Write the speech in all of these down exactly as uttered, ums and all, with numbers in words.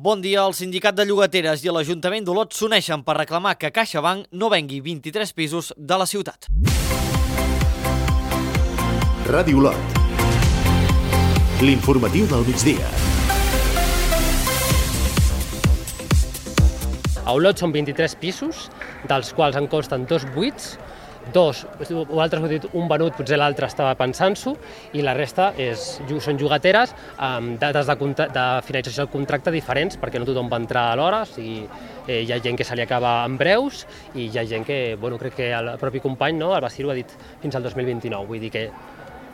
Bon dia. El Sindicat de Llogateres i l'Ajuntament d'Olot s'uneixen per reclamar que CaixaBank no vengui vint-i-tres pisos de la ciutat. Ràdio Olot. L'informatiu del migdia. A Olot són vint-i-tres pisos, dels quals en consten dos buits, dos, vosaltres heu dit un venut, potser l'altre estava pensant-s'ho, i la resta és, són llogateres amb dates de, de finalització del contracte diferents, perquè no tothom va entrar a l'hora, o sigui, eh, hi ha gent que se li acaba en breus i hi ha gent que, bueno, crec que el propi company, no, el Basir, ho ha dit fins al dos mil vint-i-nou, vull dir que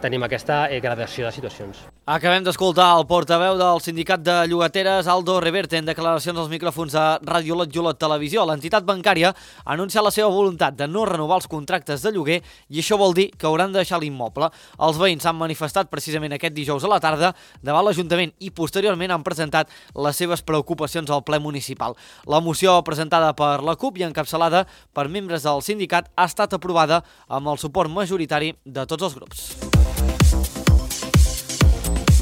tenim aquesta eh, gradació de situacions. Acabem d'escoltar el portaveu del Sindicat de Llogateres, Aldo Reverte, en declaracions als micròfons de Ràdio Olot i Olot Televisió. L'entitat bancària ha anunciat la seva voluntat de no renovar els contractes de lloguer i això vol dir que hauran de deixar l'immoble. Els veïns s'han manifestat precisament aquest dijous a la tarda davant l'Ajuntament i posteriorment han presentat les seves preocupacions al ple municipal. La moció presentada per la CUP i encapçalada per membres del sindicat ha estat aprovada amb el suport majoritari de tots els grups.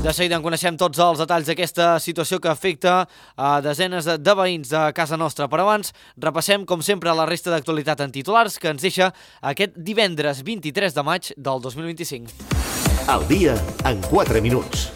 De seguida en coneixem tots els detalls d'aquesta situació que afecta a desenes de veïns de casa nostra. Però abans repassem, com sempre, la resta d'actualitat en titulars que ens deixa aquest divendres vint-i-tres de maig del dos mil vint-i-cinc. El dia en quatre minuts.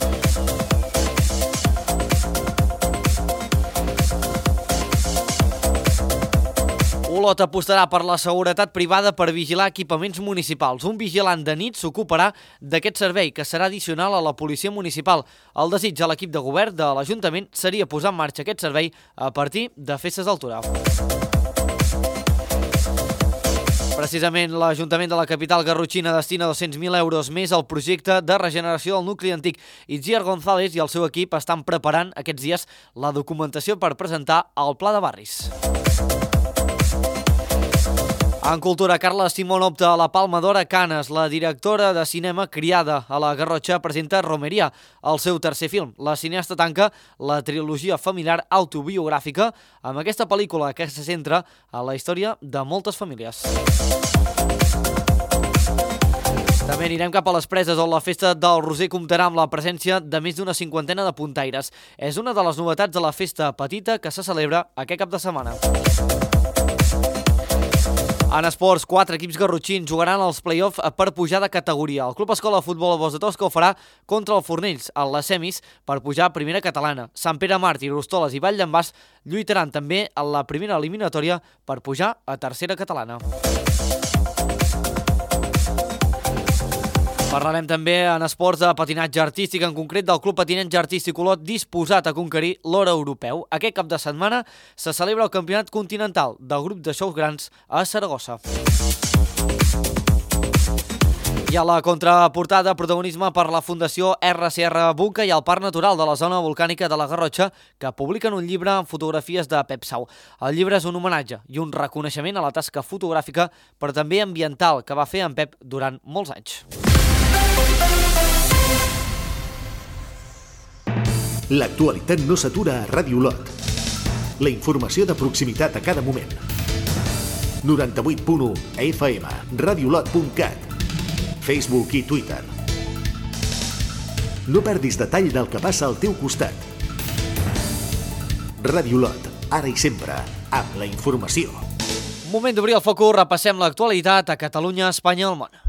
Olot apostarà per la seguretat privada per vigilar equipaments municipals. Un vigilant de nit s'ocuparà d'aquest servei, que serà addicional a la policia municipal. El desig a l'equip de govern de l'Ajuntament seria posar en marxa aquest servei a partir de festes d'altura. Precisament, l'Ajuntament de la capital garrotxina destina dos-cents mil euros més al projecte de regeneració del nucli antic. Itziar González i el seu equip estan preparant aquests dies la documentació per presentar el Pla de Barris. En cultura, Carla Simón opta a la Palma d'Or a Canes. La directora de cinema criada a la Garrotxa presenta Romeria, el seu tercer film. La cineasta tanca la trilogia familiar autobiogràfica amb aquesta pel·lícula que se centra en la història de moltes famílies. També anirem cap a les Preses, on la festa del Roser comptarà amb la presència de més d'una cinquantena de puntaires. És una de les novetats de la festa petita que se celebra aquest cap de setmana. En esports, quatre equips garrotxins jugaran els play-off per pujar de categoria. El Club Escola de Futbol Bos de Tosca ho farà contra el Fornells en les semis per pujar a primera catalana. Sant Pere Màrtir, Rostoles i Vall d'en Bas lluitaran també en la primera eliminatòria per pujar a tercera catalana. Parlarem també en esports de patinatge artístic, en concret del Club Patinatge Artístic Olot, disposat a conquerir l'or europeu. Aquest cap de setmana se celebra el Campionat Continental del grup de xous grans a Saragossa. I a la contraportada, protagonisme per la Fundació erra ce erra Bunca i el Parc Natural de la Zona Volcànica de la Garrotxa, que publiquen un llibre amb fotografies de Pep Sau. El llibre és un homenatge i un reconeixement a la tasca fotogràfica, però també ambiental, que va fer en Pep durant molts anys. L'actualitat no s'atura a Ràdio Olot. La informació de proximitat a cada moment. noranta-vuit punt u F M, radiolot punt cat, Facebook i Twitter. No perdis detall del que passa al teu costat. Ràdio Olot, ara i sempre, amb la informació. Moment d'obrir el focus, repassem l'actualitat a Catalunya, Espanya i el món.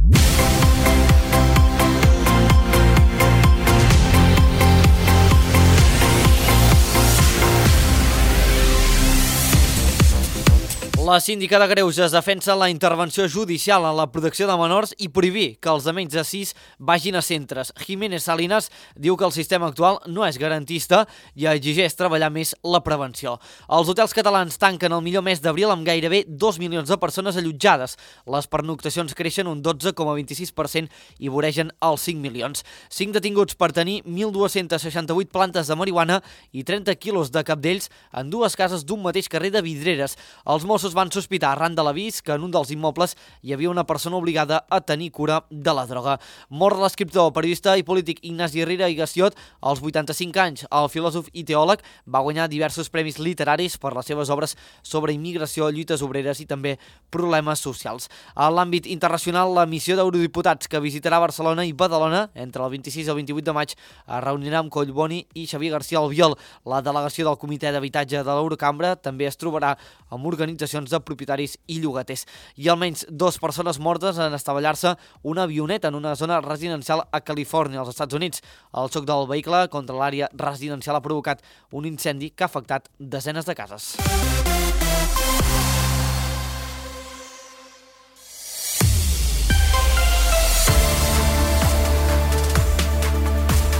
La síndica de Greuges defensa la intervenció judicial en la protecció de menors i prohibir que els de menys de sis vagin a centres. Jiménez Salinas diu que el sistema actual no és garantista i exigeix treballar més la prevenció. Els hotels catalans tanquen el millor mes d'abril amb gairebé dos milions de persones allotjades. Les pernoctacions creixen un dotze coma vint-i-sis per cent i voregen els cinc milions. cinc detinguts per tenir mil dos-cents seixanta-vuit plantes de marihuana i trenta quilos de cabdells en dues cases d'un mateix carrer de Vidreres. Els Mossos van sospitar arran de l'avís que en un dels immobles hi havia una persona obligada a tenir cura de la droga. Mort l'escriptor, periodista i polític Ignasi Riera i Gassiot als vuitanta-cinc anys. El filòsof i teòleg va guanyar diversos premis literaris per les seves obres sobre immigració, lluites obreres i també problemes socials. A l'àmbit internacional, la missió d'eurodiputats que visitarà Barcelona i Badalona entre el vint-i-sis i el vint-i-vuit de maig es reunirà amb Collboni i Xavier García Albiol. La delegació del Comitè d'Habitatge de l'Eurocambra també es trobarà amb organitzacions de propietaris i llogaters. I almenys dues persones mortes en estavellar-se una avioneta en una zona residencial a Califòrnia, als Estats Units. El xoc del vehicle contra l'àrea residencial ha provocat un incendi que ha afectat desenes de cases.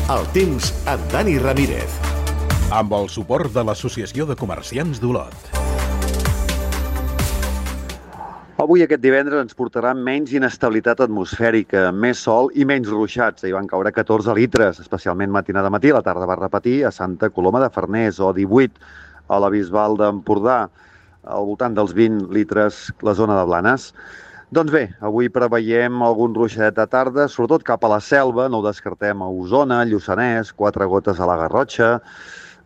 El temps amb Dani Ramírez. Amb el suport de l'Associació de Comerciants d'Olot. Avui, aquest divendres, ens portarà menys inestabilitat atmosfèrica, més sol i menys ruixats. Hi van caure catorze litres, especialment matinada matí. A la tarda va repetir a Santa Coloma de Farners, o divuit a la Bisbal d'Empordà, al voltant dels vint litres la zona de Blanes. Doncs bé, avui preveiem algun ruixadet de tarda, sobretot cap a la Selva, no ho descartem, a Osona, Lluçanès, quatre gotes a la Garrotxa,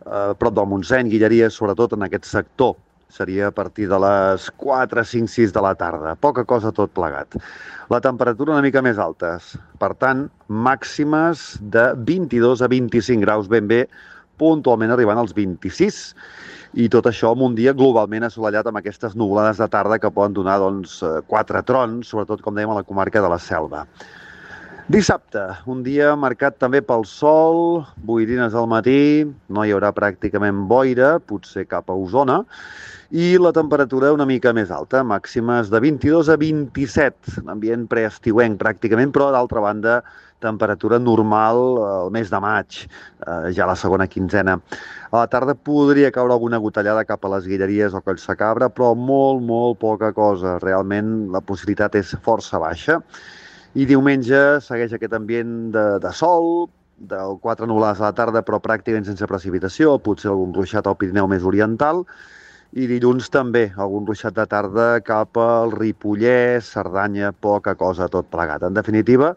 eh, prop del Montseny, Guilleries, sobretot en aquest sector. Seria a partir de les quatre, cinc, sis de la tarda. Poca cosa tot plegat. La temperatura una mica més alta. Per tant, màximes de vint-i-dos a vint-i-cinc graus, ben bé, puntualment arribant als vint-i-sis. I tot això amb un dia globalment assolellat amb aquestes nuvolades de tarda que poden donar doncs, quatre trons, sobretot, com dèiem, a la comarca de la Selva. Dissabte, un dia marcat també pel sol, boirines al matí, no hi haurà pràcticament boira, potser cap a Osona, i la temperatura una mica més alta, màximes de vint-i-dos a vint-i-set, ambient preestiuenc pràcticament, però d'altra banda temperatura normal al mes de maig, eh, ja la segona quinzena. A la tarda podria caure alguna gotellada cap a les Guilleries o Collsacabra, però molt, molt poca cosa. Realment la possibilitat és força baixa. I diumenge segueix aquest ambient de, de sol, del quatre nuvolades a la tarda, però pràcticament sense precipitació, potser algun ruixat al Pirineu més oriental. I dilluns també, algun ruixat de tarda cap al Ripollès, Cerdanya, poca cosa, tot plegat. En definitiva,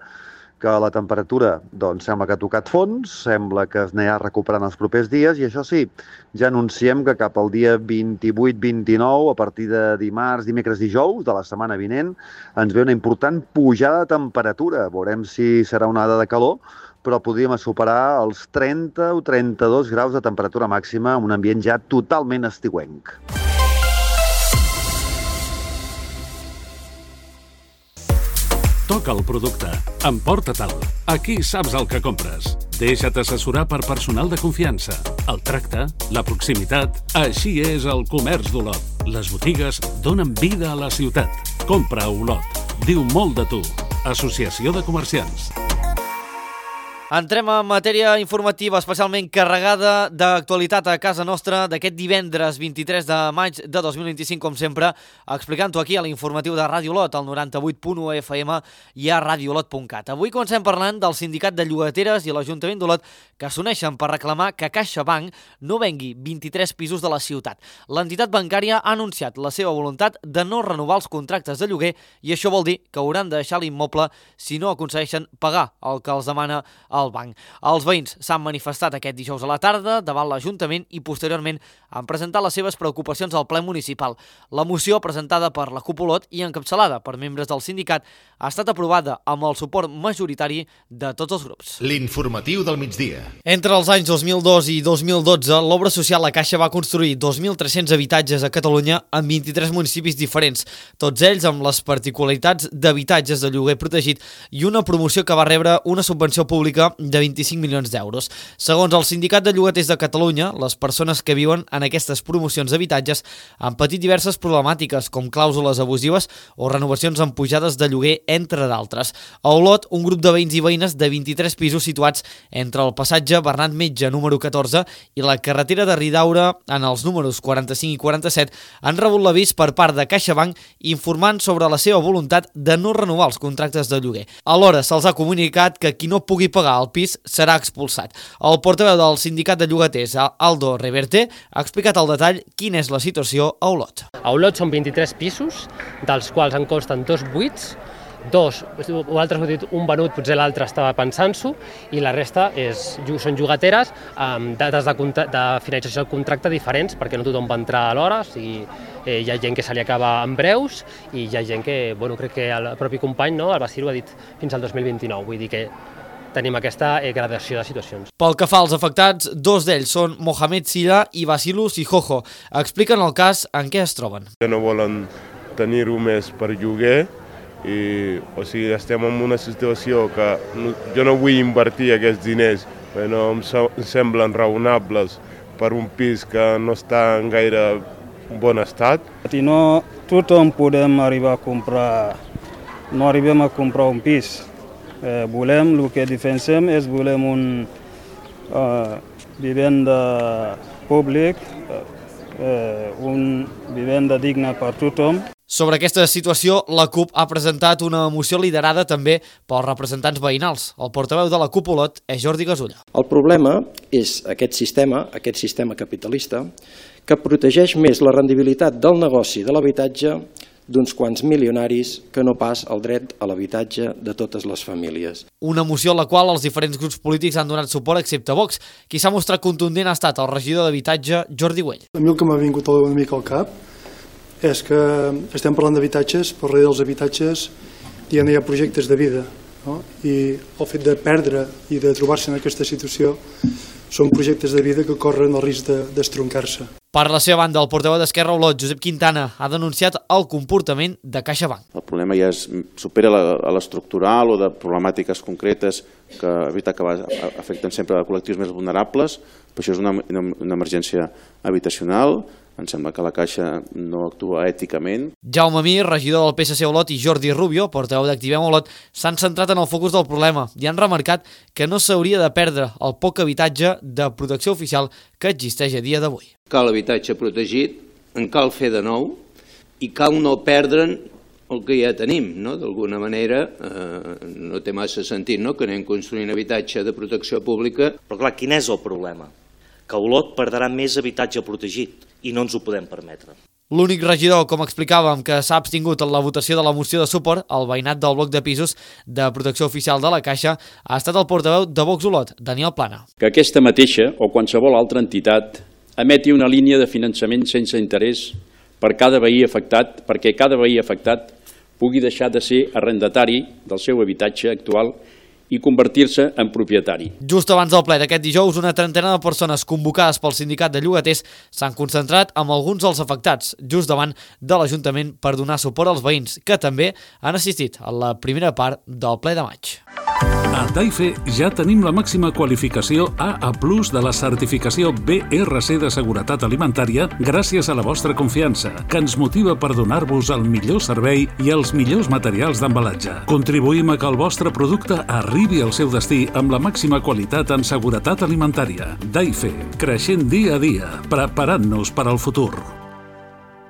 que la temperatura doncs, sembla que ha tocat fons, sembla que es anirà recuperant els propers dies i això sí, ja anunciem que cap al dia vint-i-vuit vint-i-nou, a partir de dimarts, dimecres, dijous de la setmana vinent, ens ve una important pujada de temperatura. Veurem si serà una onada de calor, però podríem superar els trenta o trenta-dos graus de temperatura màxima en un ambient ja totalment estiuenc. Toca el producte. Emporta-te'l. Aquí saps el que compres. Deixa't assessorar per personal de confiança. El tracte, la proximitat... Així és el comerç d'Olot. Les botigues donen vida a la ciutat. Compra a Olot. Diu molt de tu. Associació de Comerciants. Entrem en matèria informativa especialment carregada d'actualitat a casa nostra d'aquest divendres vint-i-tres de maig de dos mil vint-i-cinc, com sempre, explicant-ho aquí a l'informatiu de Ràdio Olot, al noranta-vuit punt u F M i a radio olot punt cat. Avui comencem parlant del Sindicat de Llogateres i l'Ajuntament d'Olot, que s'uneixen per reclamar que CaixaBank no vengui vint-i-tres pisos de la ciutat. L'entitat bancària ha anunciat la seva voluntat de no renovar els contractes de lloguer i això vol dir que hauran de deixar l'immoble si no aconsegueixen pagar el que els demana el banc. Els veïns s'han manifestat aquest dijous a la tarda davant l'Ajuntament i posteriorment han presentat les seves preocupacions al ple municipal. La moció presentada per la C U P Olot i encapçalada per membres del sindicat ha estat aprovada amb el suport majoritari de tots els grups. L'informatiu del migdia. Entre els anys dos mil dos i dos mil dotze, l'obra social La Caixa va construir dos mil tres-cents habitatges a Catalunya en vint-i-tres municipis diferents, tots ells amb les particularitats d'habitatges de lloguer protegit i una promoció que va rebre una subvenció pública de vint-i-cinc milions d'euros. Segons el Sindicat de Llogaters de Catalunya, les persones que viuen en aquestes promocions d'habitatges han patit diverses problemàtiques, com clàusules abusives o renovacions amb pujades de lloguer, entre d'altres. A Olot, un grup de veïns i veïnes de vint-i-tres pisos situats entre el passatge Bernat Metge número catorze i la carretera de Ridaura en els números quaranta-cinc i quaranta-set han rebut l'avís per part de CaixaBank informant sobre la seva voluntat de no renovar els contractes de lloguer. Alhora, se'ls ha comunicat que qui no pugui pagar entrar al pis serà expulsat. El portaveu del sindicat de llogaters, Aldo Reverte, ha explicat al detall quina és la situació a Olot. A Olot són vint-i-tres pisos, dels quals en consten dos buits, dos, vosaltres heu dit un venut, potser l'altre estava pensant-s'ho, i la resta és, són llogateres amb dates de, de finalització del contracte diferents, perquè no tothom va entrar a l'hora, o sigui, eh, hi ha gent que se li acaba en breus i hi ha gent que, bueno, crec que el propi company, no, el Basilu, ha dit fins al dos mil vint-i-nou, vull dir que tenim aquesta eh, gradació de situacions. Pel que fa als afectats, dos d'ells són Mohamed Silla i Basilu Sijojo. Expliquen el cas en què es troben. Que no volen tenir-ho més per lloguer, i, o sigui, estem en una situació que no, jo no vull invertir aquests diners, perquè no em, so, em semblen raonables per un pis que no està en gaire bon estat. I no tothom podem arribar a comprar, no arribem a comprar un pis. Eh, volem, el que defensem és volem un uh, vivenda públic, eh, un vivenda digna per tothom. Sobre aquesta situació, la CUP ha presentat una moció liderada també pels representants veïnals. El portaveu de la CUP Olot és Jordi Gasulla. El problema és aquest sistema, aquest sistema capitalista, que protegeix més la rendibilitat del negoci de l'habitatge d'uns quants milionaris que no pas el dret a l'habitatge de totes les famílies. Una moció a la qual els diferents grups polítics han donat suport excepte Vox. Qui s'ha mostrat contundent ha estat el regidor d'Habitatge, Jordi Güell. A mi el que m'ha vingut una mica al cap és que estem parlant d'habitatges, però darrere dels habitatges hi ha projectes de vida, no? I el fet de perdre i de trobar-se en aquesta situació són projectes de vida que corren el risc d'estroncar-se. Per la seva banda, el portaveu d'Esquerra Olot, Josep Quintana, ha denunciat el comportament de CaixaBank. El problema ja es supera a l'estructural o de problemàtiques concretes que evitar que afecten sempre a col·lectius més vulnerables, però això és una, una emergència habitacional. Em sembla que la Caixa no actua èticament. Jaume Mir, regidor del P S C Olot, i Jordi Rubio, portaveu d'Activem Olot, s'han centrat en el focus del problema i han remarcat que no s'hauria de perdre el poc habitatge de protecció oficial que existeix a dia d'avui. Cal habitatge protegit, en cal fer de nou i cal no perdre'n el que ja tenim, no? D'alguna manera eh, no té massa sentit, no?, que anem construint habitatge de protecció pública. Però clar, quin és el problema? Que Olot perdrà més habitatge protegit i no ens ho podem permetre. L'únic regidor, com explicàvem, que s'ha abstingut en la votació de la moció de suport al veïnat del bloc de pisos de protecció oficial de la Caixa ha estat el portaveu de Vox Olot, Daniel Plana. Que aquesta mateixa o qualsevol altra entitat emeti una línia de finançament sense interès per cada veí afectat, perquè cada veí afectat pugui deixar de ser arrendatari del seu habitatge actual i convertir-se en propietari. Just abans del ple d'aquest dijous, una trentena de persones convocades pel sindicat de llogaters s'han concentrat amb alguns dels afectats, just davant de l'Ajuntament per donar suport als veïns, que també han assistit a la primera part del ple de maig. A Taife ja tenim la màxima qualificació A A plus de la certificació B R C de seguretat alimentària gràcies a la vostra confiança, que ens motiva per donar-vos el millor servei i els millors materials d'embalatge. Contribuïm a que el vostre producte arribi al seu destí amb la màxima qualitat en seguretat alimentària. Taife, creixent dia a dia, preparant-nos per al futur.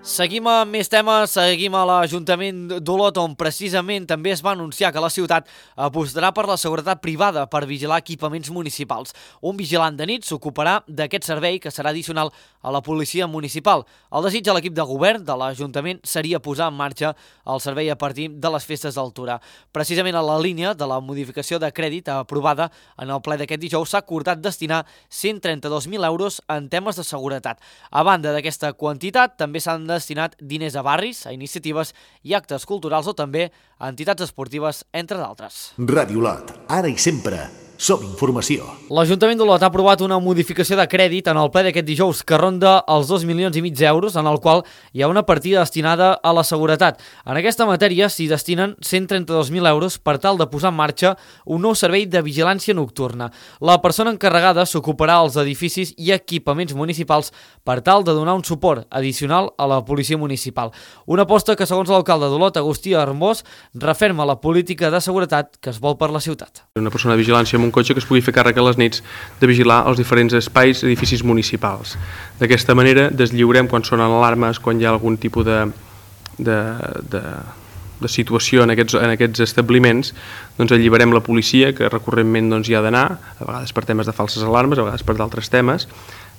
Seguim amb més temes, seguim a l'Ajuntament d'Olot, on precisament també es va anunciar que la ciutat apostarà per la seguretat privada per vigilar equipaments municipals. Un vigilant de nit s'ocuparà d'aquest servei que serà addicional a la policia municipal. El desig de l'equip de govern de l'Ajuntament seria posar en marxa el servei a partir de les festes d'altura. Precisament a la línia de la modificació de crèdit aprovada en el ple d'aquest dijous s'ha acordat destinar cent trenta-dos mil euros en temes de seguretat. A banda d'aquesta quantitat, també s'han destinat diners a barris, a iniciatives i actes culturals o també a entitats esportives, entre d'altres. Ràdio Olot, ara i sempre. Som informació. L'Ajuntament d'Olot ha aprovat una modificació de crèdit en el ple d'aquest dijous que ronda els dos milions i mig d'euros, en el qual hi ha una partida destinada a la seguretat. En aquesta matèria s'hi destinen cent trenta-dos mil euros per tal de posar en marxa un nou servei de vigilància nocturna. La persona encarregada s'ocuparà als edificis i equipaments municipals per tal de donar un suport addicional a la policia municipal. Una aposta que, segons l'alcalde d'Olot, Agustí Armós, referma la política de seguretat que es vol per la ciutat. Una persona de vigilància amb un cotxe que es pugui fer càrrec a les nits de vigilar els diferents espais i edificis municipals. D'aquesta manera deslliurem quan sonen alarmes, quan hi ha algun tipus de, de, de, de situació en aquests, en aquests establiments, doncs alliberem la policia, que recurrentment doncs, hi ha d'anar, a vegades per temes de falses alarmes, a vegades per d'altres temes,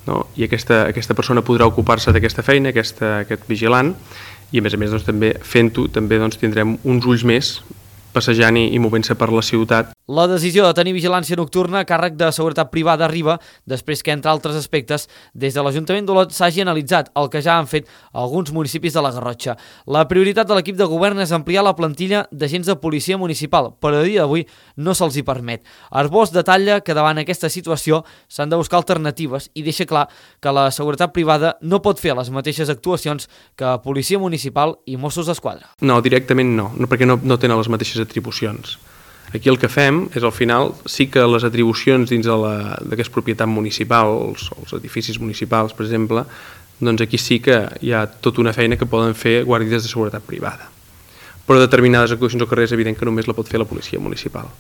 no? I aquesta, aquesta persona podrà ocupar-se d'aquesta feina, aquesta, aquest vigilant, i a més a més doncs, també fent-ho també doncs, tindrem uns ulls més passejant i, i movent-se per la ciutat. La decisió de tenir vigilància nocturna a càrrec de seguretat privada arriba després que, entre altres aspectes, des de l'Ajuntament d'Olot s'hagi analitzat el que ja han fet alguns municipis de la Garrotxa. La prioritat de l'equip de govern és ampliar la plantilla d'agents de policia municipal, però a dia d'avui no se'ls hi permet. Arbós detalla que davant aquesta situació s'han de buscar alternatives i deixa clar que la seguretat privada no pot fer les mateixes actuacions que policia municipal i Mossos d'Esquadra. No, directament no, no perquè no, no tenen les mateixes atribucions. Aquí el que fem és, al final, sí que les atribucions dins d'aquesta propietat municipal, els, els edificis municipals, per exemple, doncs aquí sí que hi ha tota una feina que poden fer guàrdies de seguretat privada. Però determinades actuacions al carrer és evident que només la pot fer la policia municipal.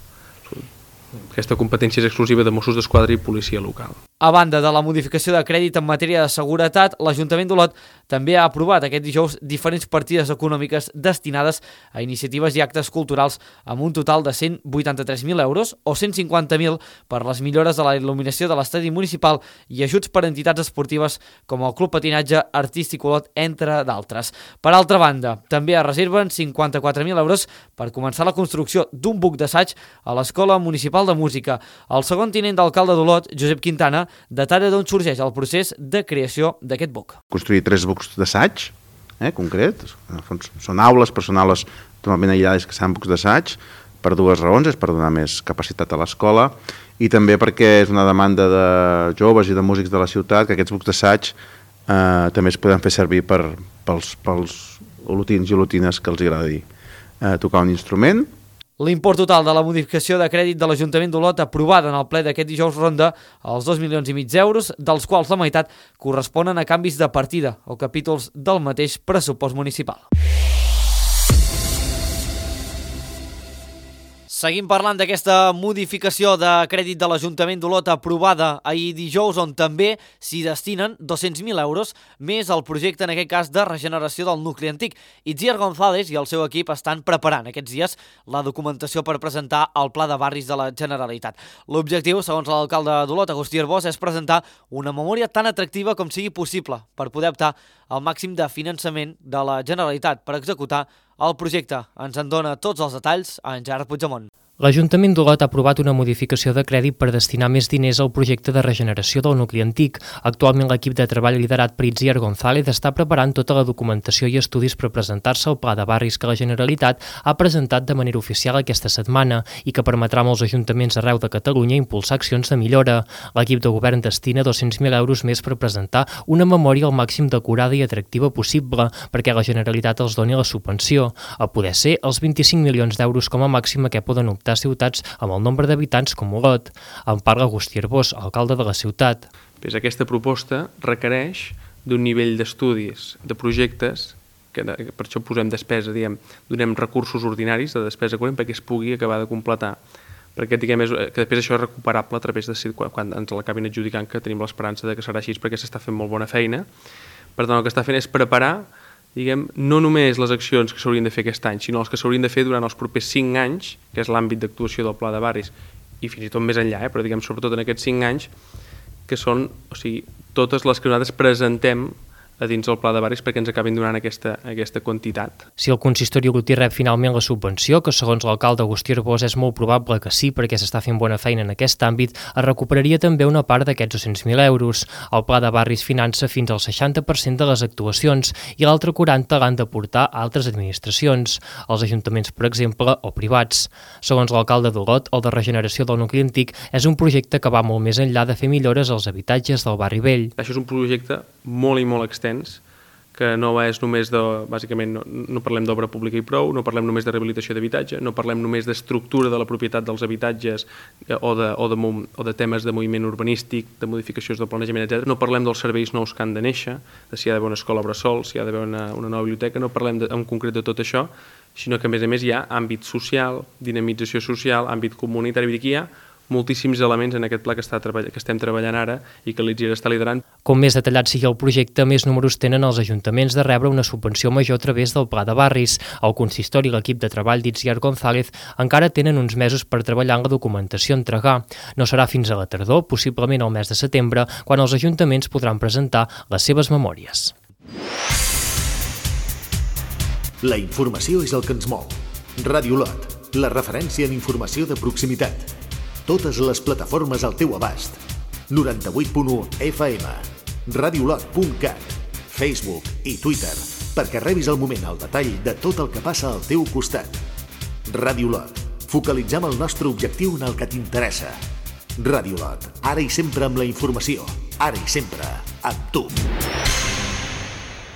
Aquesta competència és exclusiva de Mossos d'Esquadra i policia local. A banda de la modificació de crèdit en matèria de seguretat, l'Ajuntament d'Olot també ha aprovat aquest dijous diferents partides econòmiques destinades a iniciatives i actes culturals amb un total de cent vuitanta-tres mil euros o cent cinquanta mil per les millores de la il·luminació de l'estadi municipal i ajuts per a entitats esportives com el Club Patinatge Artístic Olot, entre d'altres. Per altra banda, també es reserven cinquanta-quatre mil euros per començar la construcció d'un buc d'assaig a l'Escola Municipal de Música. El segon tinent d'alcalde d'Olot, Josep Quintana, detalla d'on sorgeix el procés de creació d'aquest buc. Construir tres bucs d'assaig, eh, concret, són aules, però són aules totalment aïllades que seran bucs d'assaig, per dues raons, és per donar més capacitat a l'escola i també perquè és una demanda de joves i de músics de la ciutat que aquests bucs d'assaig eh, també es poden fer servir per, pels, pels olotins i olotines que els agradi eh, tocar un instrument. L'import total de la modificació de crèdit de l'Ajuntament d'Olot aprovada en el ple d'aquest dijous ronda els dos milions i mig d'euros, dels quals la meitat corresponen a canvis de partida o capítols del mateix pressupost municipal. Seguim parlant d'aquesta modificació de crèdit de l'Ajuntament d'Olot aprovada ahir dijous, on també s'hi destinen dos-cents mil euros més al projecte, en aquest cas, de regeneració del nucli antic. Itziar González i el seu equip estan preparant aquests dies la documentació per presentar el Pla de Barris de la Generalitat. L'objectiu, segons l'alcalde d'Olot, Agustí Arbós, és presentar una memòria tan atractiva com sigui possible per poder optar al màxim de finançament de la Generalitat per executar el projecte. Ens en dona tots els detalls a en Gerard Puigdemont. L'Ajuntament d'Olot ha aprovat una modificació de crèdit per destinar més diners al projecte de regeneració del nucli antic. Actualment l'equip de treball liderat per Itziar González està preparant tota la documentació i estudis per presentar-se al Pla de Barris que la Generalitat ha presentat de manera oficial aquesta setmana i que permetrà a molts ajuntaments arreu de Catalunya impulsar accions de millora. L'equip de govern destina dos-cents mil euros més per presentar una memòria al màxim decorada i atractiva possible perquè la Generalitat els doni la subvenció, a poder ser els vint-i-cinc milions d'euros com a màxim a què poden optar a ciutats amb el nombre d'habitants com Olot. En parla Agustí Arbós, alcalde de la ciutat. Pues aquesta proposta requereix d'un nivell d'estudis, de projectes, que per això posem despesa, diguem, donem recursos ordinaris de despesa corrent perquè es pugui acabar de completar. Perquè diguem, que després això és recuperable a través de quan, quan ens l'acabin adjudicant, que tenim l'esperança de que serà així perquè s'està fent molt bona feina. Per tant, el que està fent és preparar, diguem, no només les accions que s'haurien de fer aquest any, sinó les que s'haurien de fer durant els propers cinc anys, que és l'àmbit d'actuació del Pla de Barris, i fins i tot més enllà, eh? Però diguem, sobretot en aquests cinc anys, que són, o sigui, totes les que nosaltres presentem a dins del Pla de Barris perquè ens acabin donant aquesta, aquesta quantitat. Si el consistori olotí rep finalment la subvenció, que segons l'alcalde Agustí Arbós és molt probable que sí perquè s'està fent bona feina en aquest àmbit, es recuperaria també una part d'aquests dos-cents mil euros. El Pla de Barris finança fins al seixanta per cent de les actuacions i l'altre quaranta l'han d'aportar altres administracions, els ajuntaments, per exemple, o privats. Segons l'alcalde d'Olot, el de regeneració del nucli antic és un projecte que va molt més enllà de fer millores als habitatges del barri vell. Això és un projecte molt i molt extens, que no és només de, bàsicament, no, no parlem d'obra pública i prou, no parlem només de rehabilitació d'habitatge, no parlem només d'estructura de la propietat dels habitatges o de, o, de, o de temes de moviment urbanístic, de modificacions del planejament, etcètera. No parlem dels serveis nous que han de néixer, de si hi ha d'haver una escola bressol, si hi ha d'haver una, una nova biblioteca, no parlem de, en concret de tot això, sinó que a més a més hi ha àmbit social, dinamització social, àmbit comunitari, vull dir que hi ha moltíssims elements en aquest pla que, està treball... que estem treballant ara i que l'Itziar està liderant. Com més detallat sigui el projecte, més números tenen els ajuntaments de rebre una subvenció major a través del Pla de Barris. El consistori i l'equip de treball d'Itziar González encara tenen uns mesos per treballar en la documentació a entregar. No serà fins a la tardor, possiblement al mes de setembre, quan els ajuntaments podran presentar les seves memòries. La informació és el que ens mou. Ràdio Lot, la referència en informació de proximitat. Totes les plataformes al teu abast. noranta-vuit punt u F M, radiolot punt cat, Facebook i Twitter, perquè rebis al moment el detall de tot el que passa al teu costat. Ràdio Lot, focalitzem el nostre objectiu en el que t'interessa. Ràdio Lot, ara i sempre amb la informació, ara i sempre amb tu.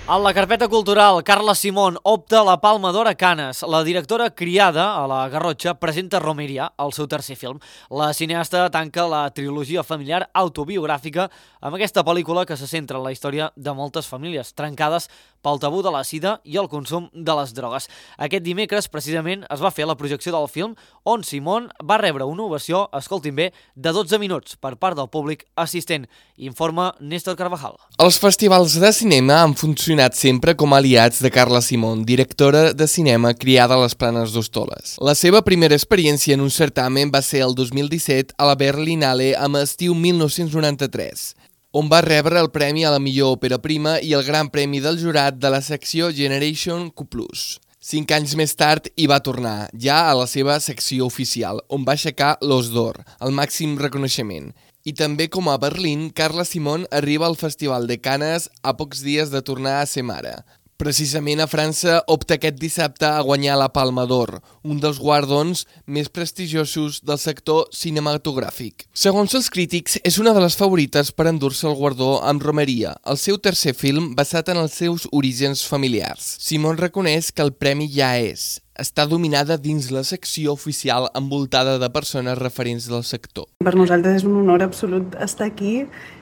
En la carpeta cultural, Carla Simón opta a la Palma d'Or a Canes. La directora criada a la Garrotxa presenta Romeria, el seu tercer film. La cineasta tanca la trilogia familiar autobiogràfica amb aquesta pel·lícula que se centra en la història de moltes famílies trencades pel tabú de la sida i el consum de les drogues. Aquest dimecres, precisament, es va fer la projecció del film, on Simón va rebre una ovació, escoltin bé, de dotze minuts per part del públic assistent. Informa Néstor Carvajal. Els festivals de cinema han funcionat sempre com a aliats de Carla Simón, directora de cinema criada a les Planes d'Hostoles. La seva primera experiència en un certamen va ser el dos mil disset a la Berlinale amb Estiu mil nou-cents noranta-tres, on va rebre el premi a la millor òpera prima i el gran premi del jurat de la secció Generation Q plus. Cinc anys més tard hi va tornar, ja a la seva secció oficial, on va aixecar l'Os d'Or, el màxim reconeixement. I també com a Berlín, Carla Simón arriba al Festival de Canes a pocs dies de tornar a ser mare. Precisament a França opta aquest dissabte a guanyar la Palma d'Or, un dels guardons més prestigiosos del sector cinematogràfic. Segons els crítics, és una de les favorites per endur-se el guardó amb Romeria, el seu tercer film basat en els seus orígens familiars. Simón reconeix que el premi ja és. Està dominada dins la secció oficial envoltada de persones referents del sector. Per nosaltres és un honor absolut estar aquí.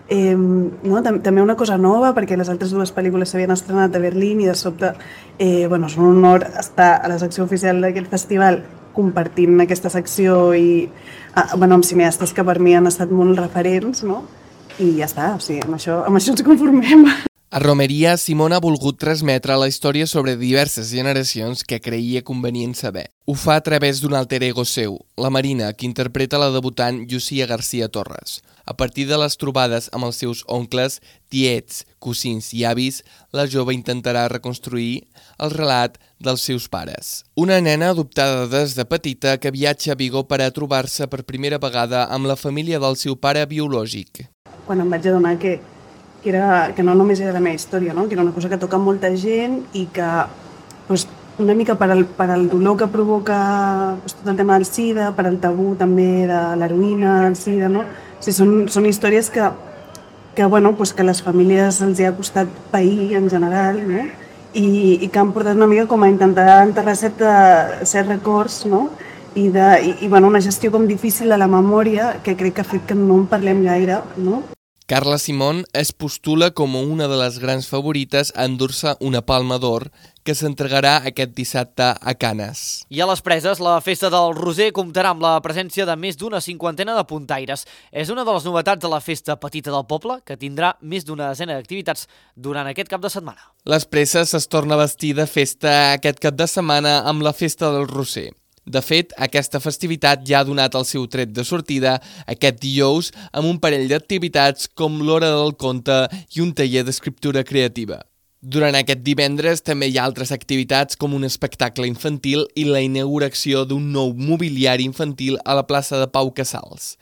Eh, no? També una cosa nova, perquè les altres dues pel·lícules s'havien estrenat a Berlín i de sobte eh, bueno, és un honor estar a la secció oficial d'aquest festival compartint aquesta secció i ah, bueno, amb cineastes que per mi han estat molt referents, no? I ja està, o sigui, amb això, amb això ens conformem. A Romeria, Simón ha volgut transmetre la història sobre diverses generacions que creia convenient saber. Ho fa a través d'un alter ego seu, la Marina, que interpreta la debutant Llucia García Torres. A partir de les trobades amb els seus oncles, tiets, cosins i avis, la jove intentarà reconstruir el relat dels seus pares. Una nena adoptada des de petita que viatja a Vigo per a trobar-se per primera vegada amb la família del seu pare biològic. Quan em vaig adonar que Que, era, que no només era la meva història, no? Que era una cosa que toca molta gent i que pues, una mica per al, per al dolor que provoca pues, tot el tema del sida, per al tabú també de l'heroïna, del sida, no? O sigui, són, són històries que, que, bueno, pues, que a les famílies els hi ha costat pair en general, no? I, i que han portat una mica com a intentar enterrar certs records, no? I, de, i, i bueno, una gestió com difícil de la memòria que crec que ha fet que no en parlem gaire, no? Carla Simón es postula com una de les grans favorites a endur-se una Palma d'Or que s'entregarà aquest dissabte a Canes. I a les Preses, la Festa del Roser comptarà amb la presència de més d'una cinquantena de puntaires. És una de les novetats de la Festa Petita del Poble, que tindrà més d'una desena d'activitats durant aquest cap de setmana. Les Preses es torna a vestir de festa aquest cap de setmana amb la Festa del Roser. De fet, aquesta festivitat ja ha donat el seu tret de sortida aquest dijous amb un parell d'activitats com l'Hora del Conte i un taller d'escriptura creativa. Durant aquest divendres també hi ha altres activitats com un espectacle infantil i la inauguració d'un nou mobiliari infantil a la plaça de Pau Casals.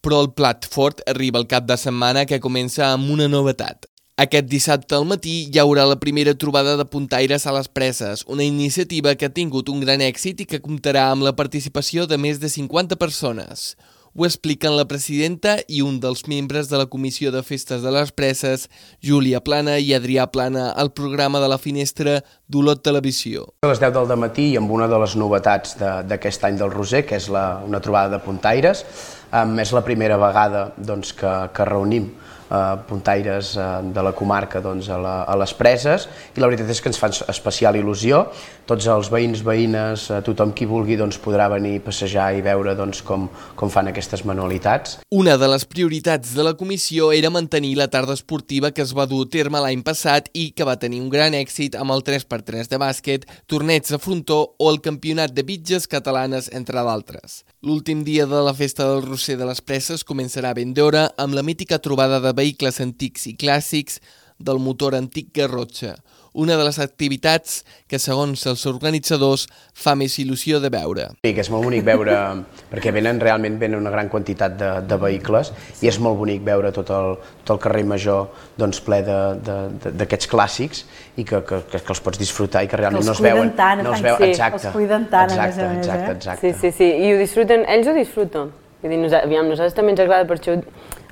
Però el plat fort arriba el cap de setmana, que comença amb una novetat. Aquest dissabte al matí hi haurà la primera trobada de puntaires a les Preses, una iniciativa que ha tingut un gran èxit i que comptarà amb la participació de més de cinquanta persones. Ho expliquen la presidenta i un dels membres de la Comissió de Festes de les Preses, Júlia Plana i Adrià Plana, al programa de la Finestra d'Olot Televisió. A les deu del matí i amb una de les novetats d'aquest any del Roser, que és la, una trobada de puntaires. Um, és la primera vegada doncs, que, que reunim puntaires de la comarca a les preses, i la veritat és que ens fa especial il·lusió. Tots els veïns, veïnes, tothom qui vulgui podrà venir a passejar i veure com fan aquestes manualitats. Una de les prioritats de la comissió era mantenir la tarda esportiva que es va dur a terme l'any passat i que va tenir un gran èxit amb el tres per tres de bàsquet, torneig de frontó o el campionat de bitges catalanes, entre d'altres. L'últim dia de la Festa del Roser de les Preses començarà ben d'hora amb la mítica trobada de vehicles antics i clàssics del motor antic Garrotxa, una de les activitats que, segons els organitzadors, fa més il·lusió de veure. Sí, que és molt bonic veure, perquè venen realment venen una gran quantitat de vehicles i és molt bonic veure tot el carrer Major ple d'aquests clàssics i que els pots disfrutar i que realment no es veuen. Els cuiden tant, a més a més. Exacte, exacte. Sí, sí, sí, i ho disfruten, ells ho disfruten. Nosaltres també ens agrada, per això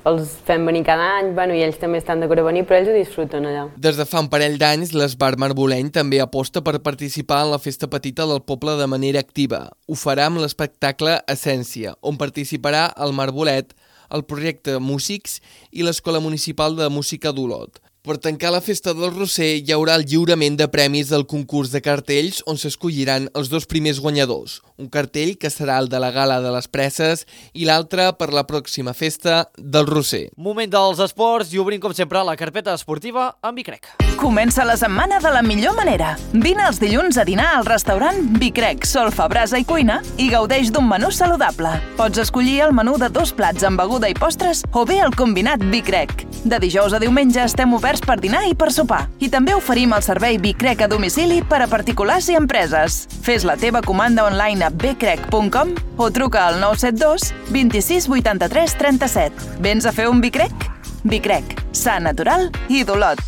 els fem venir cada any, i ells també estan d'acord a venir, però ells ho disfruten allà. Des de fa un parell d'anys, l'Esbar Marboleny també aposta per participar en la festa petita del poble de manera activa. Ho farà amb l'espectacle Essència, on participarà el Marbolet, el projecte Músics i l'Escola Municipal de Música d'Olot. Per tancar la Festa del Roser hi haurà el lliurament de premis del concurs de cartells on s'escolliran els dos primers guanyadors. Un cartell que serà el de la Gala de les Preses i l'altre per la pròxima Festa del Roser. Moment dels esports i obrim com sempre la carpeta esportiva amb Bicrec. Comença la setmana de la millor manera. Vine els dilluns a dinar al restaurant Bicrec, solfa, brasa i cuina i gaudeix d'un menú saludable. Pots escollir el menú de dos plats amb beguda i postres o bé el combinat Bicrec. De dijous a diumenge estem oberts per dinar i per sopar. I també oferim el servei Bicrec a domicili per a particulars i empreses. Fes la teva comanda online a bcrec punt com o truca al nou set dos vint-i-sis vuitanta-tres trenta-set. Vens a fer un Bicrec? Bicrec, sa, natural i d'Olot.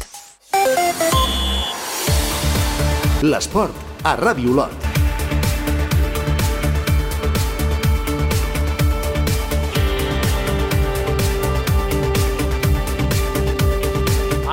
L'esport a Ràdio Olot.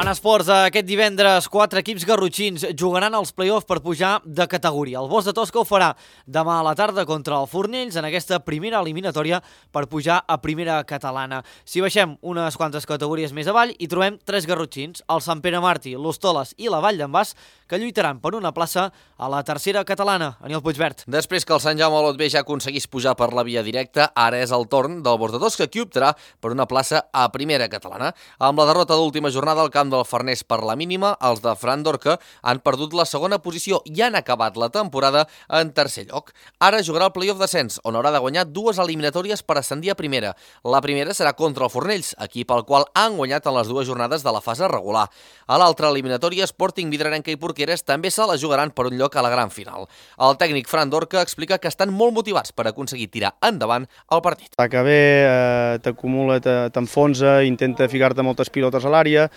En esports, aquest divendres, quatre equips garrotxins jugaran als play-offs per pujar de categoria. El Bosch de Tosca ho farà demà a la tarda contra el Fornells en aquesta primera eliminatòria per pujar a primera catalana. Si baixem unes quantes categories més avall, hi trobem tres garrotxins, el Sant Pere Martí, l'Hostoles i la Vall d'en Bas, que lluitaran per una plaça a la tercera catalana. Aniol Puigvert. Després que el Sant Jaume Olot B ja aconseguís pujar per la via directa, ara és el torn del Bosch de Tosca, qui optarà per una plaça a primera catalana. Amb la derrota d'última jornada al camp del Farners per la mínima, els de Fran Dorca han perdut la segona posició i han acabat la temporada en tercer lloc. Ara jugarà el play-off d'ascens, on haurà de guanyar dues eliminatòries per ascendir a primera. La primera serà contra el Fornells, equip al qual han guanyat en les dues jornades de la fase regular. A l'altra eliminatòria, Sporting, Vidrarenca i Porqueres també se la jugaran per un lloc a la gran final. El tècnic Fran Dorca explica que estan molt motivats per aconseguir tirar endavant el partit. Que bé, eh, t'acumula, t'enfonsa, intenta ficar-te moltes pilotes a l'àrea.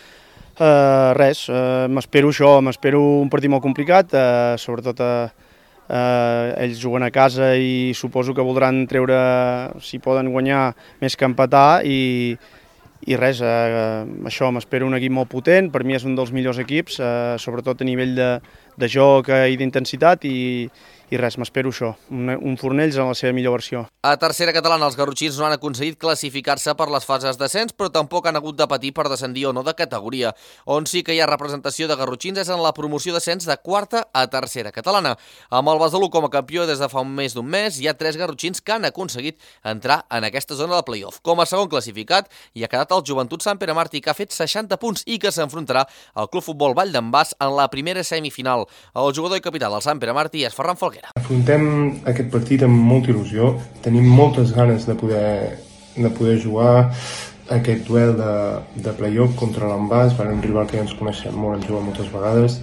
Uh, res, uh, m'espero això, m'espero un partit molt complicat, uh, sobretot uh, uh, ells juguen a casa i suposo que voldran treure, si poden guanyar, més que empatar i, i res, uh, això, m'espero un equip molt potent, per mi és un dels millors equips, uh, sobretot a nivell de, de joc i d'intensitat i, i res, m'espero això, un, un Fornells en la seva millor versió. A tercera catalana, els garrotxins no han aconseguit classificar-se per les fases d'ascens, però tampoc han hagut de patir per descendir o no de categoria. On sí que hi ha representació de garrotxins és en la promoció d'ascens de quarta a tercera catalana. Amb el Besalú com a campió des de fa un més d'un mes, hi ha tres garrotxins que han aconseguit entrar en aquesta zona de play-off. Com a segon classificat hi ha quedat el Joventut Sant Pere Martí, que ha fet seixanta punts i que s'enfrontarà al Club Futbol Vall d'en Bas en la primera semifinal. El jugador i capità del Sant Pere Martí és Ferran Falguera. Afrontem aquest partit amb molta il·lusió, tenim moltes ganes de poder, de poder jugar aquest duel de, de play-off contra l'Envàs, un rival que ja ens coneixem molt, ens jugat moltes vegades.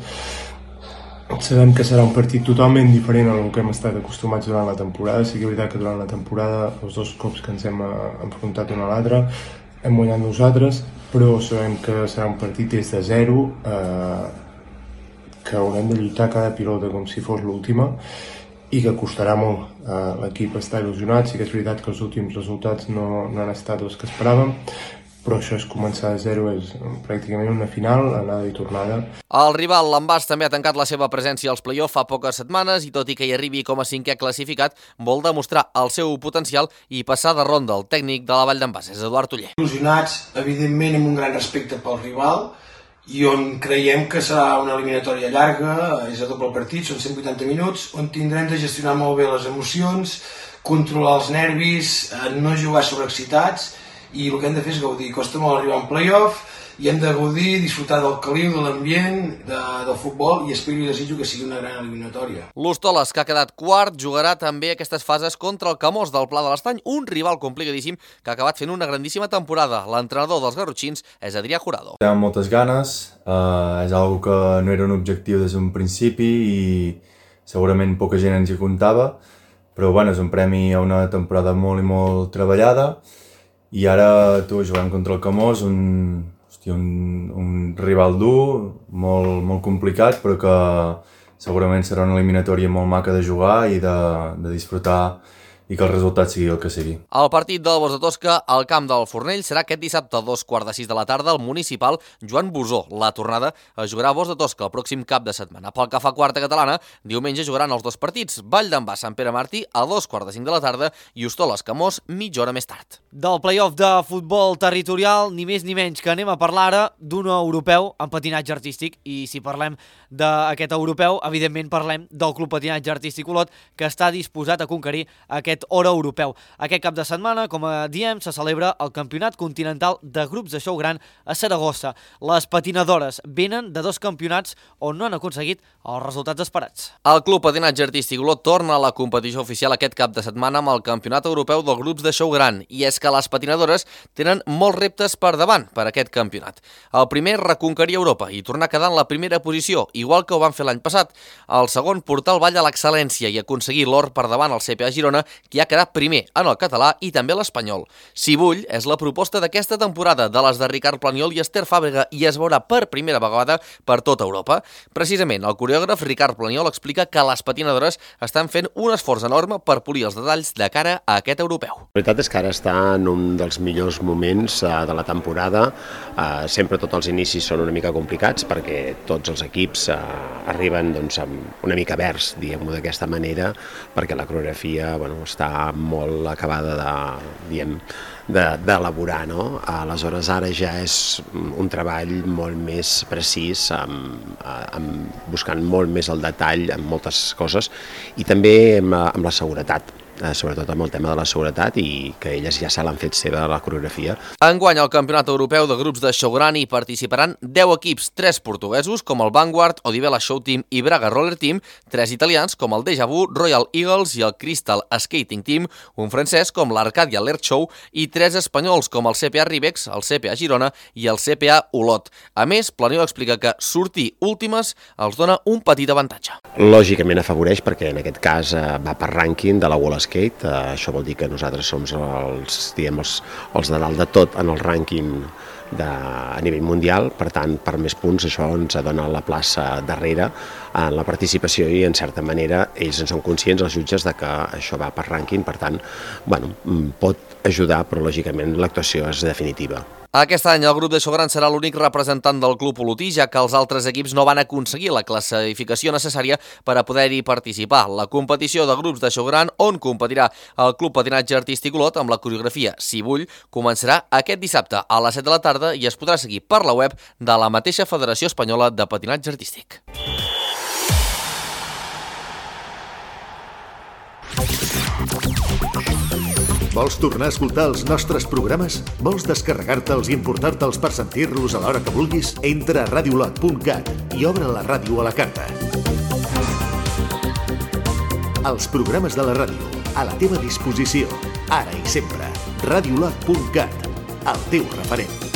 Sabem que serà un partit totalment diferent al que hem estat acostumats durant la temporada. Sí que és veritat que durant la temporada, els dos cops que ens hem enfrontat un a l'altre, hem guanyat nosaltres, però sabem que serà un partit des de zero, eh, que haurem de lluitar cada pilota com si fos l'última, i que costarà molt. L'equip està il·lusionat, sí que és veritat que els últims resultats no, no han estat els que esperàvem, però això és començar de zero, és pràcticament una final, anada i tornada. El rival, l'Envàs, també ha tancat la seva presència als play-off fa poques setmanes i tot i que hi arribi com a cinquè classificat, vol demostrar el seu potencial i passar de ronda. El tècnic de la Vall d'en Bas és Eduard Oller. Il·lusionats, evidentment, amb un gran respecte pel rival, i on creiem que serà una eliminatòria llarga, és a doble partit, són cent vuitanta minuts, on tindrem de gestionar molt bé les emocions, controlar els nervis, no jugar sobreexcitats, i el que hem de fer és gaudir. Costa molt arribar a un play-off i hem de gaudir, disfrutar del caliu, de l'ambient, de, del futbol, i espero i desitjo que sigui una gran eliminatòria. L'Hostoles, que ha quedat quart, jugarà també aquestes fases contra el Camós del Pla de l'Estany, un rival complicadíssim que ha acabat fent una grandíssima temporada. L'entrenador dels garrotxins és Adrià Jurado. Tenim moltes ganes, eh, és algo que no era un objectiu des d'un principi i segurament poca gent ens hi comptava, però bueno, és un premi a una temporada molt i molt treballada. I ara tu jugant contra el Camós, un, hosti, un, un rival dur, molt, molt complicat, però que segurament serà una eliminatòria molt maca de jugar i de, de disfrutar i que el resultat sigui el que sigui. El partit del Bos de Tosca al camp del Fornell serà aquest dissabte a dos quarts de sis de la tarda al municipal Joan Bosó. La tornada es jugarà a Bos de Tosca el pròxim cap de setmana. Pel que fa a quarta catalana, diumenge jugaran els dos partits. Vall d'en Bas, Sant Pere Martí a dos quarts de cinc de la tarda i Hostoles Camós mitja hora més tard. Del play-off de futbol territorial, ni més ni menys que anem a parlar ara d'un europeu en patinatge artístic, i si parlem d'aquest europeu, evidentment parlem del Club Patinatge Artístic Olot, que està disposat a conquerir aquest oro europeu. Aquest cap de setmana, com diem, se celebra el Campionat Continental de Grups de Show Gran a Saragossa. Les patinadores venen de dos campionats on no han aconseguit els resultats esperats. El Club Patinatge Artístic Olot torna a la competició oficial aquest cap de setmana amb el Campionat Europeu de Grups de Show Gran, i és que les patinadores tenen molts reptes per davant per aquest campionat. El primer, reconquerir Europa i tornar a quedar en la primera posició, igual que ho van fer l'any passat. El segon, portar el ball a l'excel·lència i aconseguir l'or per davant al C P A Girona, que ha quedat primer en el català i també l'espanyol. Si vull, és la proposta d'aquesta temporada de les de Ricard Planiol i Esther Fàbrega i es veurà per primera vegada per tota Europa. Precisament, el coreògraf Ricard Planiol explica que les patinadores estan fent un esforç enorme per polir els detalls de cara a aquest europeu. La veritat és que ara està en un dels millors moments de la temporada. Sempre tots els inicis són una mica complicats perquè tots els equips arriben una mica verds, diguem-ho d'aquesta manera, perquè la coreografia està molt acabada d'elaborar, no? Aleshores ara ja és un treball molt més precís, buscant molt més el detall en moltes coses, i també amb la seguretat, sobretot amb el tema de la seguretat, i que elles ja se l'han fet seva la coreografia. Enguany al Campionat Europeu de Grups de Show Gran hi participaran deu equips, tres portuguesos com el Vanguard, Odibela Show Team i Braga Roller Team, tres italians com el Deja Vu, Royal Eagles i el Crystal Skating Team, un francès com l'Arcadia Alert Show i tres espanyols com el C P A Ribex, el C P A Girona i el C P A Olot. A més, Planiol explica que sortir últimes els dona un petit avantatge. Lògicament afavoreix perquè en aquest cas va per rànquing de la World Skate, això vol dir que nosaltres som els, diguem, els, els de dalt de tot en el rànquing de, a nivell mundial, per tant, per més punts això ens dona la plaça darrere en la participació i en certa manera ells en són conscients, els jutges, de que això va per rànquing, per tant, bueno, pot ajudar, però lògicament l'actuació és definitiva. Aquest any el grup de Show Gran serà l'únic representant del club olotí, ja que els altres equips no van aconseguir la classificació necessària per a poder-hi participar. La competició de grups de Show Gran, on competirà el Club Patinatge Artístic Olot amb la coreografia Si Vull, començarà aquest dissabte a les set de la tarda i es podrà seguir per la web de la mateixa Federació Espanyola de Patinatge Artístic. Vols tornar a escoltar els nostres programes? Vols descarregar-te'ls i importar-te'ls per sentir-los a l'hora que vulguis? Entra a radiolot punt cat i obre la ràdio a la carta. Els programes de la ràdio, a la teva disposició, ara i sempre. radiolot punt cat, el teu referent.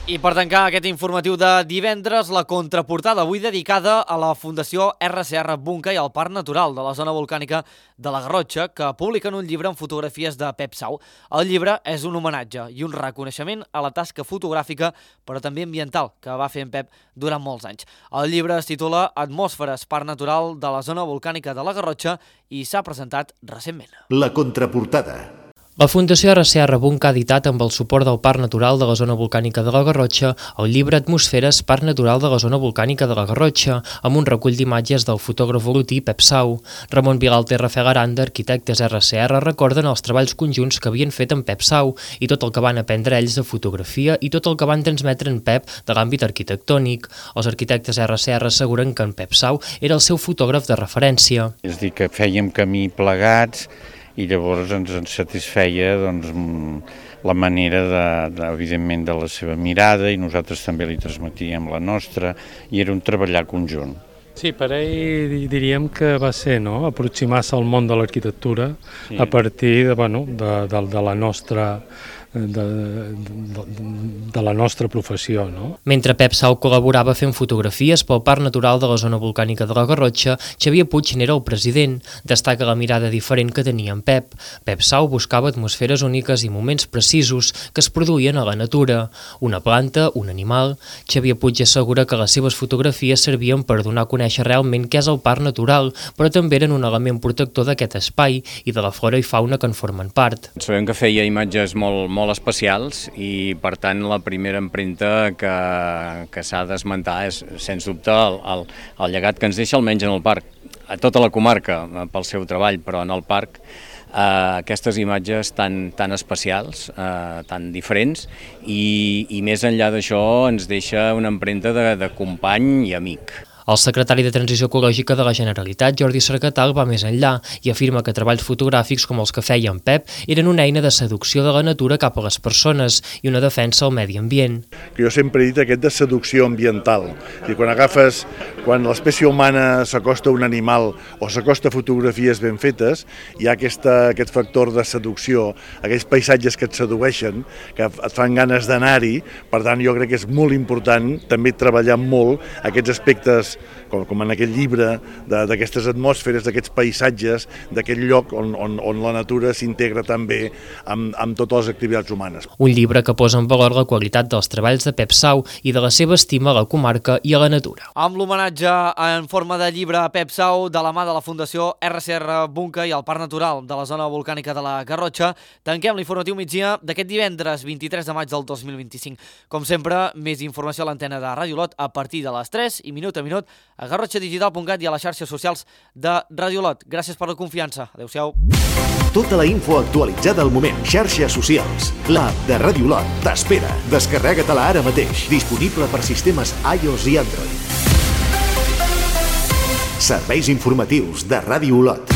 I per tancar aquest informatiu de divendres, la contraportada avui dedicada a la Fundació R C R Bunca i al Parc Natural de la zona volcànica de la Garrotxa, que publiquen un llibre amb fotografies de Pep Sau. El llibre és un homenatge i un reconeixement a la tasca fotogràfica, però també ambiental, que va fer en Pep durant molts anys. El llibre es titula Atmosferes, Parc Natural de la zona volcànica de la Garrotxa i s'ha presentat recentment. La contraportada. La Fundació erra ce erra Bunca ha editat, amb el suport del Parc Natural de la Zona Volcànica de la Garrotxa, el llibre Atmosferes, Parc Natural de la Zona Volcànica de la Garrotxa, amb un recull d'imatges del fotògraf olotí Pep Sau. Ramon Vilalta i Rafael Aranda, arquitectes erra ce erra, recorden els treballs conjunts que havien fet amb Pep Sau i tot el que van aprendre ells de fotografia i tot el que van transmetre en Pep de l'àmbit arquitectònic. Els arquitectes erra ce erra asseguren que en Pep Sau era el seu fotògraf de referència. És a dir, que fèiem camí plegats i llavors ens en satisfeia doncs, la manera, de, de, evidentment, de la seva mirada i nosaltres també li transmetíem la nostra i era un treballar conjunt. Sí, per ell diríem que va ser no? aproximar-se al món de l'arquitectura sí. a partir de, bueno, de, de, de la nostra... De, de, de la nostra professió. No? Mentre Pep Sau col·laborava fent fotografies pel Parc Natural de la Zona Volcànica de la Garrotxa, Xavier Puig n'era el president. Destaca la mirada diferent que tenia en Pep. Pep Sau buscava atmosferes úniques i moments precisos que es produïen a la natura. Una planta, un animal... Xavier Puig assegura que les seves fotografies servien per donar a conèixer realment què és el parc natural, però també eren un element protector d'aquest espai i de la flora i fauna que en formen part. Sabem que feia imatges molt, molt molt especials i, per tant, la primera empremta que, que s'ha d'esmentar és, sens dubte, el, el, el llegat que ens deixa almenys en el parc, a tota la comarca pel seu treball, però en el parc eh, aquestes imatges tan, tan especials, eh, tan diferents i, i més enllà d'això ens deixa una empremta de, de company i amic. El secretari de Transició Ecològica de la Generalitat, Jordi Cercatal, va més enllà i afirma que treballs fotogràfics com els que feia en Pep eren una eina de seducció de la natura cap a les persones i una defensa al medi ambient. Que jo sempre he dit aquest de seducció ambiental. I quan agafes, quan l'espècie humana s'acosta a un animal o s'acosta a fotografies ben fetes, hi ha aquesta, aquest factor de seducció, aquells paisatges que et sedueixen, que et fan ganes d'anar-hi. Per tant, jo crec que és molt important també treballar molt aquests aspectes Com, com en aquell llibre d'aquestes atmosferes, d'aquests paisatges, d'aquest lloc on, on, on la natura s'integra també amb, amb totes les activitats humanes. Un llibre que posa en valor la qualitat dels treballs de Pep Sau i de la seva estima a la comarca i a la natura. Amb l'homenatge en forma de llibre a Pep Sau de la mà de la Fundació erra ce erra Bunca i el Parc Natural de la Zona Volcànica de la Garrotxa, tanquem l'informatiu migdia d'aquest divendres vint-i-tres de maig del dos mil vint-i-cinc. Com sempre, més informació a l'antena de Ràdio Lot a partir de les tres i minut a minut a garrotxa digital punt cat i a les xarxes socials de Ràdio Lot. Gràcies per la confiança. Adéu-siau. Tota la info actualitzada al moment. Xarxes socials. L'app de Ràdio Lot t'espera. Descarrega-te-la ara mateix. Disponible per sistemes iOS i Android. Serveis informatius de Ràdio Lot.